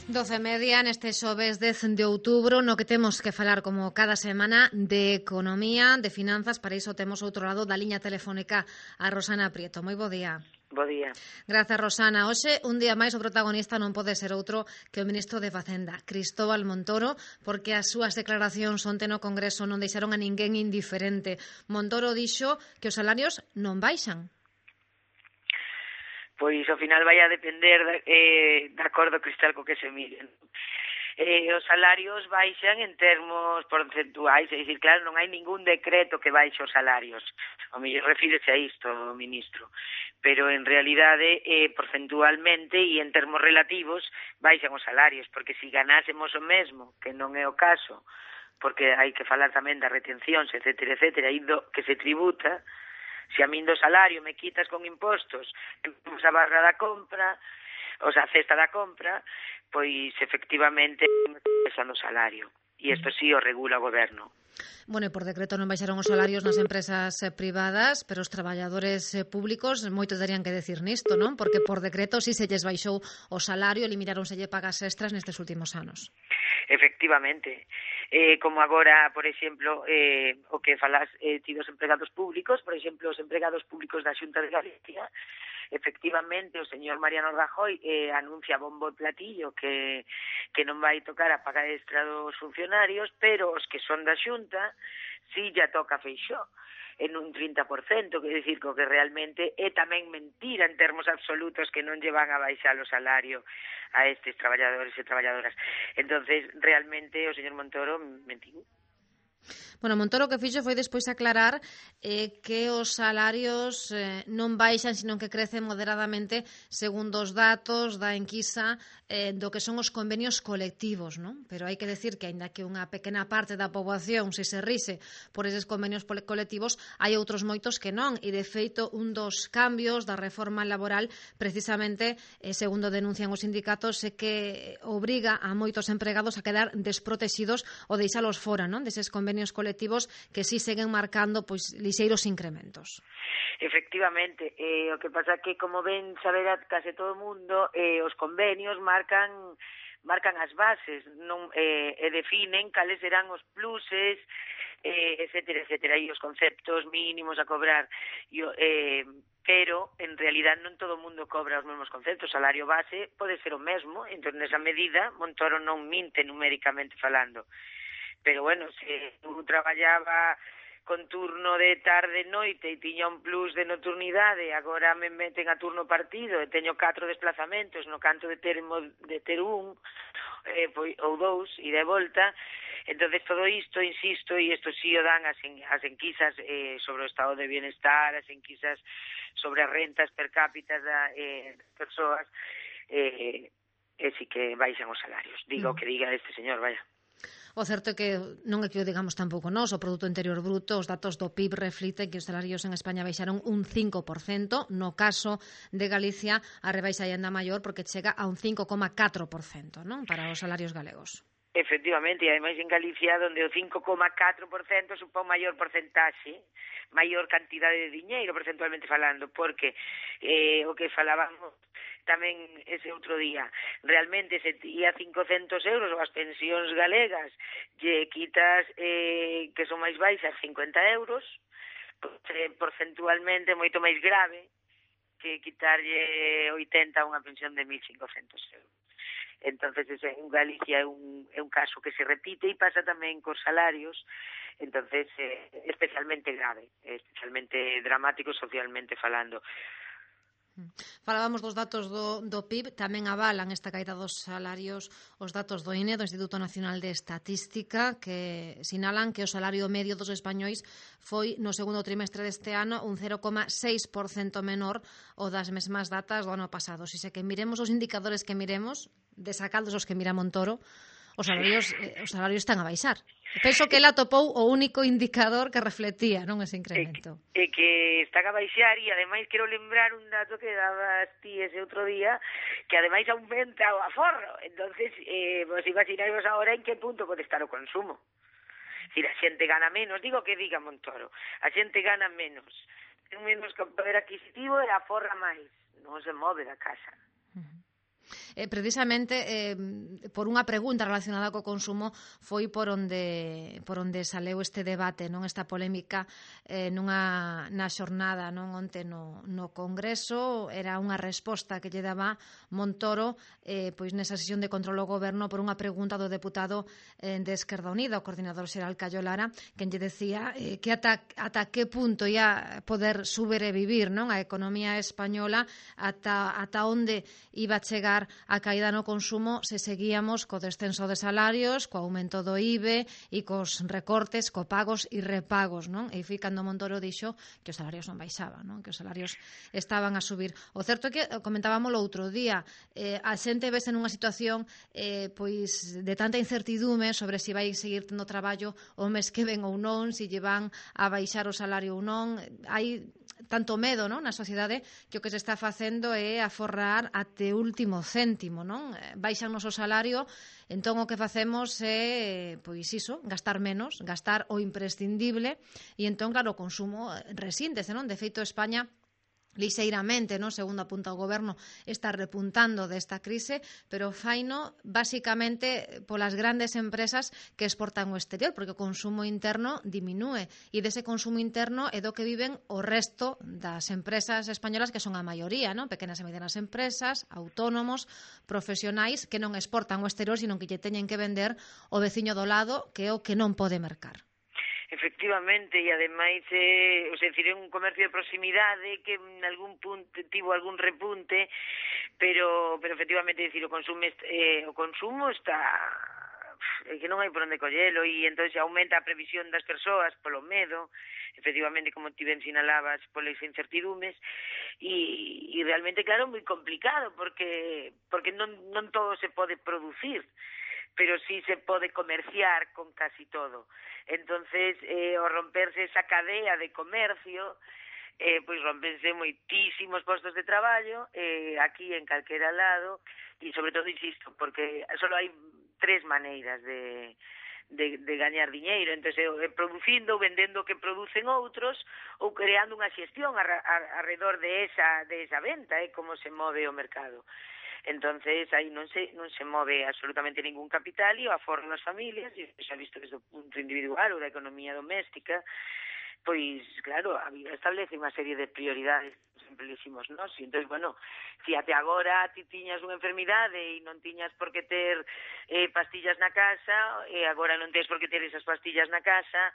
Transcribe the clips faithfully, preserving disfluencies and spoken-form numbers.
doce e media neste xoves dez de outubro, no que temos que falar como cada semana de economía, de finanzas. Para iso temos outro lado da liña telefónica a Rosana Prieto. Moi bo día. Bo día. Grazas, Rosana. Hoxe, un día máis, o protagonista non pode ser outro que o ministro de Facenda, Cristóbal Montoro, porque as súas declaracións onte no Congreso non deixaron a ninguén indiferente. Montoro dixo que os salarios non baixan. Pois ao final vai a depender de, eh, de acordo cristal co que se miren. Eh, os salarios baixan en termos porcentuais, é dicir, claro, non hai ningún decreto que baixe os salarios. O mellor refírese a isto, o ministro. Pero en realidade, eh, porcentualmente e en termos relativos, baixan os salarios, porque se ganásemos o mesmo, que non é o caso, porque hai que falar tamén das retencións, etcétera, etcétera, e do que se tributa. Se a min do salario me quitas con impostos, empezamos a barra da compra, o sea, a cesta da compra, pois efectivamente me pesan o salario. E isto sí o regula o goberno. Bueno, e por decreto non baixaron os salarios nas empresas privadas, pero os traballadores públicos moito terían que decir nisto, non? Porque por decreto si se lles baixou o salario, elimináronse pagas extras nestes últimos anos. Efectivamente. Eh, como agora, por exemplo, eh, o que falas eh, ti dos empregados públicos, por exemplo, os empregados públicos da Xunta de Galicia, efectivamente o señor Mariano Rajoy eh, anuncia bombo e platillo que, que non vai tocar a paga extra dos funcionarios, pero os que son da Xunta si ya toca Feixóo en un trinta por cento, que decir que realmente é tamén mentira en termos absolutos que non lle van a baixar o salario a estes traballadores e traballadoras. Entonces, realmente, o señor Montoro mentiu. Bueno, Montoro o que fixo foi despois aclarar eh, que os salarios eh, non baixan, sino que crecen moderadamente segundo os datos da enquisa eh, do que son os convenios colectivos, non? Pero hai que decir que, aínda que unha pequena parte da poboación se se rise por eses convenios colectivos, hai outros moitos que non, e de feito un dos cambios da reforma laboral precisamente, eh, segundo denuncian os sindicatos, é que obriga a moitos empregados a quedar desprotexidos ou deixalos fora, non? Deses convenios colectivos que si seguen marcando pois lixeiros incrementos. Efectivamente, eh, o que pasa que, como ben saberá case todo o mundo, eh, os convenios marcan marcan as bases, non eh, e definen cales serán os pluses, eh, etcétera, etcétera, e os conceptos mínimos a cobrar. E, eh, pero, en realidad, non todo o mundo cobra os mesmos conceptos. O salario base pode ser o mesmo, entón, nesa medida, Montoro non minte numéricamente falando. Pero, bueno, se eu traballaba con turno de tarde-noite e tiña un plus de nocturnidade, agora me meten a turno partido e teño catro desplazamentos no canto de ter, de ter un eh, pois, ou dous e de volta. Entonces todo isto, insisto, e isto sí o dan as, en, as enquisas eh, sobre o estado de bienestar, as enquisas sobre as rentas per cápita da, eh, das persoas, eh, e sí que baixan os salarios. Digo o que diga este señor, vaya. O certo é que non é que o digamos tampouco nós, o Produto Interior Bruto, os datos do P I B refliten que os salarios en España baixaron un cinco por cento, no caso de Galicia a rebaixa é ainda maior porque chega a un cinco coma catro por cento, non? Para os salarios galegos. Efectivamente, e ademais en Galicia, onde o cinco coma catro por cento supón maior porcentaxe, maior cantidade de diñeiro, percentualmente falando, porque eh, o que falábamos tamén ese outro día, realmente se tía cincocentos euros ou as pensións galegas, lle quitas eh, que son máis baixas cincuenta euros, pues, eh, porcentualmente moito máis grave que quitarlle oitenta a unha pensión de mil cincocentos euros. Entonces, ese, en Galicia é un, é un caso que se repite e pasa tamén cos salarios, entonces, eh, especialmente grave, especialmente dramático socialmente falando. Falábamos dos datos do, do P I B, tamén avalan esta caída dos salarios os datos do I N E, do Instituto Nacional de Estatística, que sinalan que o salario medio dos españois foi no segundo trimestre deste ano un cero coma seis por cento menor o das mesmas datas do ano pasado. Se que miremos os indicadores que miremos, desacados os que mira Montoro, os salarios, eh, os salarios están a baixar. Penso que ela topou o único indicador que reflectía, non, ese incremento. E, e que están a baixar, e ademais quero lembrar un dato que dabas ti ese outro día, que ademais aumenta o aforro. Entonces, eh, vos imaginarvos agora en que punto pode estar o consumo. Es decir, a xente gana menos, digo que diga Montoro, a xente gana menos, ten menos poder adquisitivo e aforra máis, non se move da casa. eh, precisamente eh, por unha pregunta relacionada co consumo foi por onde por onde saleu este debate, non esta polémica eh, nunha na xornada non onte no, no Congreso. Era unha resposta que lle daba Montoro eh, pois nesa sesión de control ao goberno por unha pregunta do deputado eh, de Esquerda Unida, o coordinador xeral Callo Lara, que lle decía eh, que ata, ata que punto ia poder sobrevivir non a economía española, ata, ata onde iba a chegar a caída no consumo se seguíamos co descenso de salarios, co aumento do I B E e cos recortes, co pagos e repagos, non? E foi cando Montoro dixo que os salarios non baixaban, non? Que os salarios estaban a subir. O certo é que comentábamos o outro día, eh, a xente vese nunha situación eh, pois de tanta incertidume sobre se vai seguir tendo traballo o mes que ven ou non, se lle van a baixar o salario ou non. Hai tanto medo, non, na sociedade, que o que se está facendo é aforrar até o último céntimo, non? Baixan o noso salario, entón o que facemos é, pois iso, gastar menos, gastar o imprescindible, e entón, claro, o consumo resíntese, non? De feito, España lixeiramente, non, segundo apunta o goberno, está repuntando desta crise, pero faino basicamente polas grandes empresas que exportan ao exterior, porque o consumo interno diminúe, e dese consumo interno é do que viven o resto das empresas españolas, que son a maioría, non? Pequenas e medianas empresas, autónomos, profesionais que non exportan ao exterior, sino que lle teñen que vender o veciño do lado, que é o que non pode mercar. Efectivamente, e ademais eh, o sea, decir, é un comercio de proximidade que en algún punto tivo algún repunte, pero pero efectivamente, decir, o consumo eh, o consumo está é que non hai por onde collelo, e entón aumenta a previsión das persoas polo medo, efectivamente, como ti ben sinalabas, polas incertidumes, e, e realmente, claro, moi complicado, porque porque non, non todo se pode producir, pero sí se pode comerciar con casi todo. Entonces, eh, ao romperse esa cadea de comercio, eh, pois rompense moitísimos postos de traballo eh, aquí en calquera lado, e sobre todo, insisto, porque só hai tres maneiras de, de, de gañar diñeiro, entonces eh, producindo ou vendendo o que producen outros, ou creando unha xestión alrededor de esa, de esa venta, eh, como se move o mercado. Entonces, aí non se non se move absolutamente ningún capital, e o aforro das familias, e xa visto desde o punto individual ou da economía doméstica, pois, claro, a vida establece unha serie de prioridades, sempre dicimos, non? E entón, bueno, se até agora ti tiñas unha enfermidade e non tiñas por que ter eh, pastillas na casa, e agora non tens por que ter esas pastillas na casa,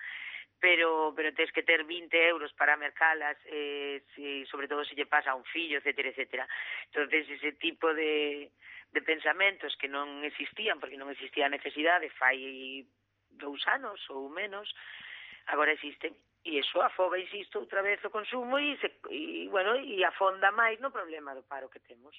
pero pero tens que ter vinte euros para mercalas, eh, si, sobre todo se lle pasa a un fillo, etcétera, etcétera. Entonces, ese tipo de, de pensamentos que non existían, porque non existía a necesidade fai dous anos ou menos, agora existen. E iso afoga, insisto, outra vez o consumo e, se, e, bueno, e afonda máis no problema do paro que temos.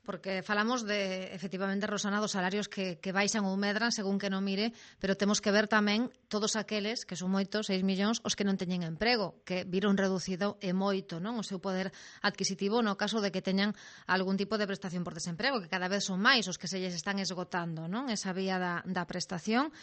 Porque falamos de, efectivamente, Rosana, dos salarios que, que baixan ou medran según que non mire, pero temos que ver tamén todos aqueles, que son moitos, seis millóns, os que non teñen emprego, que viron reducido e moito, non, o seu poder adquisitivo no caso de que teñan algún tipo de prestación por desemprego, que cada vez son máis os que se lles están esgotando, non, esa vía da, da prestación.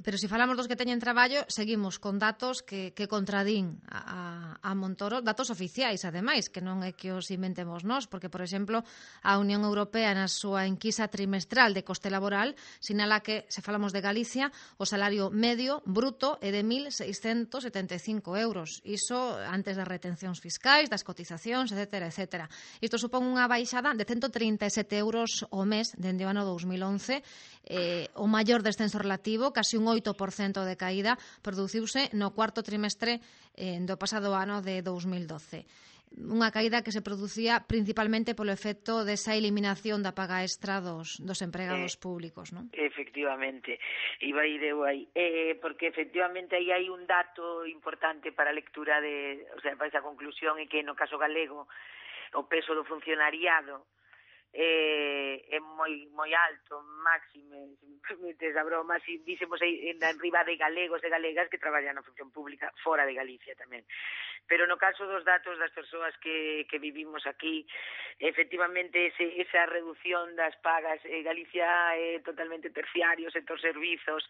Pero se falamos dos que teñen traballo, seguimos con datos que, que contradín a, a Montoro, datos oficiais, ademais, que non é que os inventemos nós, porque, por exemplo, a Unión Europea na súa enquisa trimestral de coste laboral sinala que, se falamos de Galicia, o salario medio bruto é de mil seiscentos setenta e cinco euros. Iso antes das retencións fiscais, das cotizacións, etcétera, etcétera. Isto supón unha baixada de ciento trinta e sete euros ao mes dende o ano dous mil once, eh, o maior descenso relativo, casi un oito por cento de caída, produciuse no cuarto trimestre eh, do pasado ano de dous mil doce. Unha caída que se producía principalmente polo efecto desa eliminación da paga extra dos, dos empregados eh, públicos, non? Efectivamente, iba aí deu aí, eh, porque efectivamente aí hai un dato importante para a lectura de, o sea, para esa conclusión, é que no caso galego o peso do funcionariado eh, é moi moi alto, máxime, se me permites a broma, si dísemos aí en riba de galegos e galegas que traballan na función pública fora de Galicia tamén. Pero no caso dos datos das persoas que, que vivimos aquí, efectivamente ese, esa reducción das pagas, eh, Galicia é totalmente terciario, sector servizos,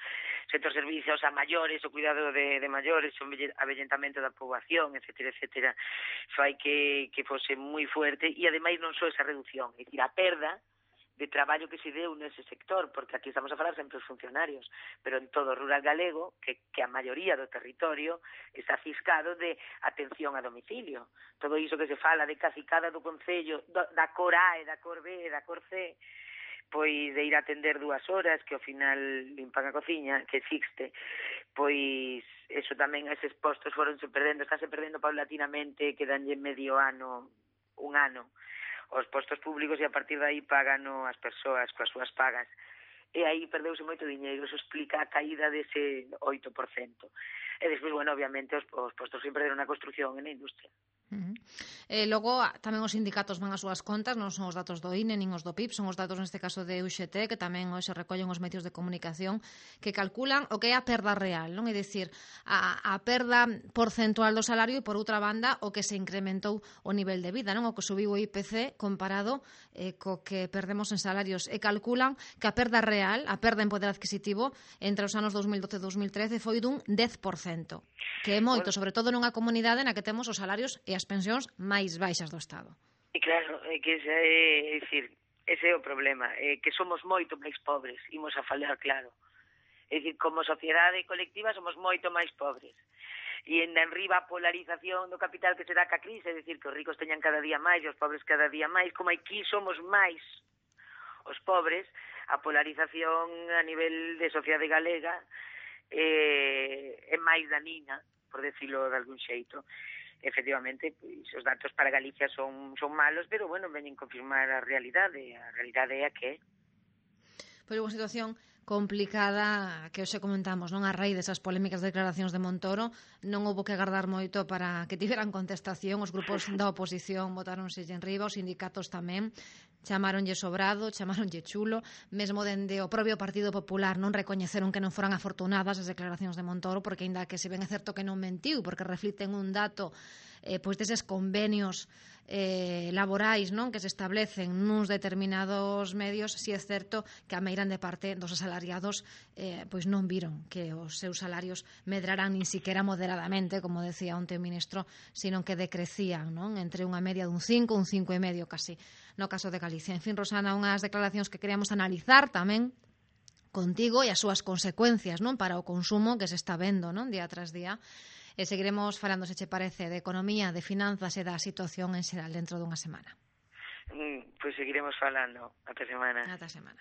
sector servizos a maiores, o cuidado de, de maiores, o avellentamento da poboación, etcétera, etcétera, fai que, que fose moi fuerte, e ademais non só esa reducción, é dicir, a perda de traballo que se deu nese sector, porque aquí estamos a falar sempre os funcionarios, pero en todo o rural galego, que, que a maioría do territorio está ciscado de atención a domicilio. Todo iso que se fala de cacicada do Concello, do, da cor A e da cor B e da cor C, pois de ir a atender dúas horas, que ao final limpan a cociña, que existe, pois eso tamén, eses postos foronse perdendo, estáse perdendo paulatinamente, quedanlle medio ano, un ano, os postos públicos e a partir de aí pagan as persoas coas súas pagas. E aí perdeuse moito diñeiro, eso explica a caída dese oito por cento. E despois, bueno, obviamente, os, os postos se perderon na construción e na industria. Uh -huh. eh, logo, tamén os sindicatos van as súas contas, non son os datos do I N E nin os do P I B, son os datos neste caso de U X T, que tamén hoxe recollen os medios de comunicación, que calculan o que é a perda real, non? É dicir, a, a perda porcentual do salario e, por outra banda, o que se incrementou o nivel de vida, non? O que subiu o I P C comparado eh, co que perdemos en salarios, e calculan que a perda real, a perda en poder adquisitivo entre os anos dos mil doce e dos mil trece foi dun dez por cento, que é moito, sobre todo nunha comunidade na que temos os salarios e as pensións máis baixas do Estado. E claro, é que ese é, é dicir, ese é o problema, é que somos moito máis pobres, imos a falar claro. É dicir, como sociedade colectiva somos moito máis pobres. E en enriba a polarización do capital que se dá ca crise, é dicir, que os ricos teñan cada día máis e os pobres cada día máis, como aquí somos máis os pobres, a polarización a nivel de sociedade galega é, é máis danina, por decirlo de algún xeito. Efectivamente, pois, os datos para Galicia son, son malos, pero, bueno, veñen confirmar a realidade. A realidade é a que é. Pois unha situación complicada que hoxe comentamos, non? A raíz desas polémicas declaracións de Montoro, non houbo que agardar moito para que tiveran contestación. Os grupos da oposición votáronse en riba, os sindicatos tamén, chamaronlle sobrado, chamaronlle chulo, mesmo dende o propio Partido Popular non recoñeceron que non foran afortunadas as declaracións de Montoro, porque aínda que se ven é certo que non mentiu, porque reflicten un dato eh, pois deses convenios eh, laborais, non, que se establecen nuns determinados medios, si é certo que a meirande parte dos asalariados eh, pois non viron que os seus salarios medraran nin siquiera moderadamente, como decía onte o ministro, sino que decrecían, non, entre unha media dun cinco, un cinco e medio casi, no caso de Galicia. En fin, Rosana, unhas declaracións que queríamos analizar tamén contigo e as súas consecuencias, non, para o consumo que se está vendo, non, día tras día. E seguiremos falando, se che parece, de economía, de finanzas e da situación en xeral dentro dunha semana. Mm, pois seguiremos falando. Ata semana. Ata semana.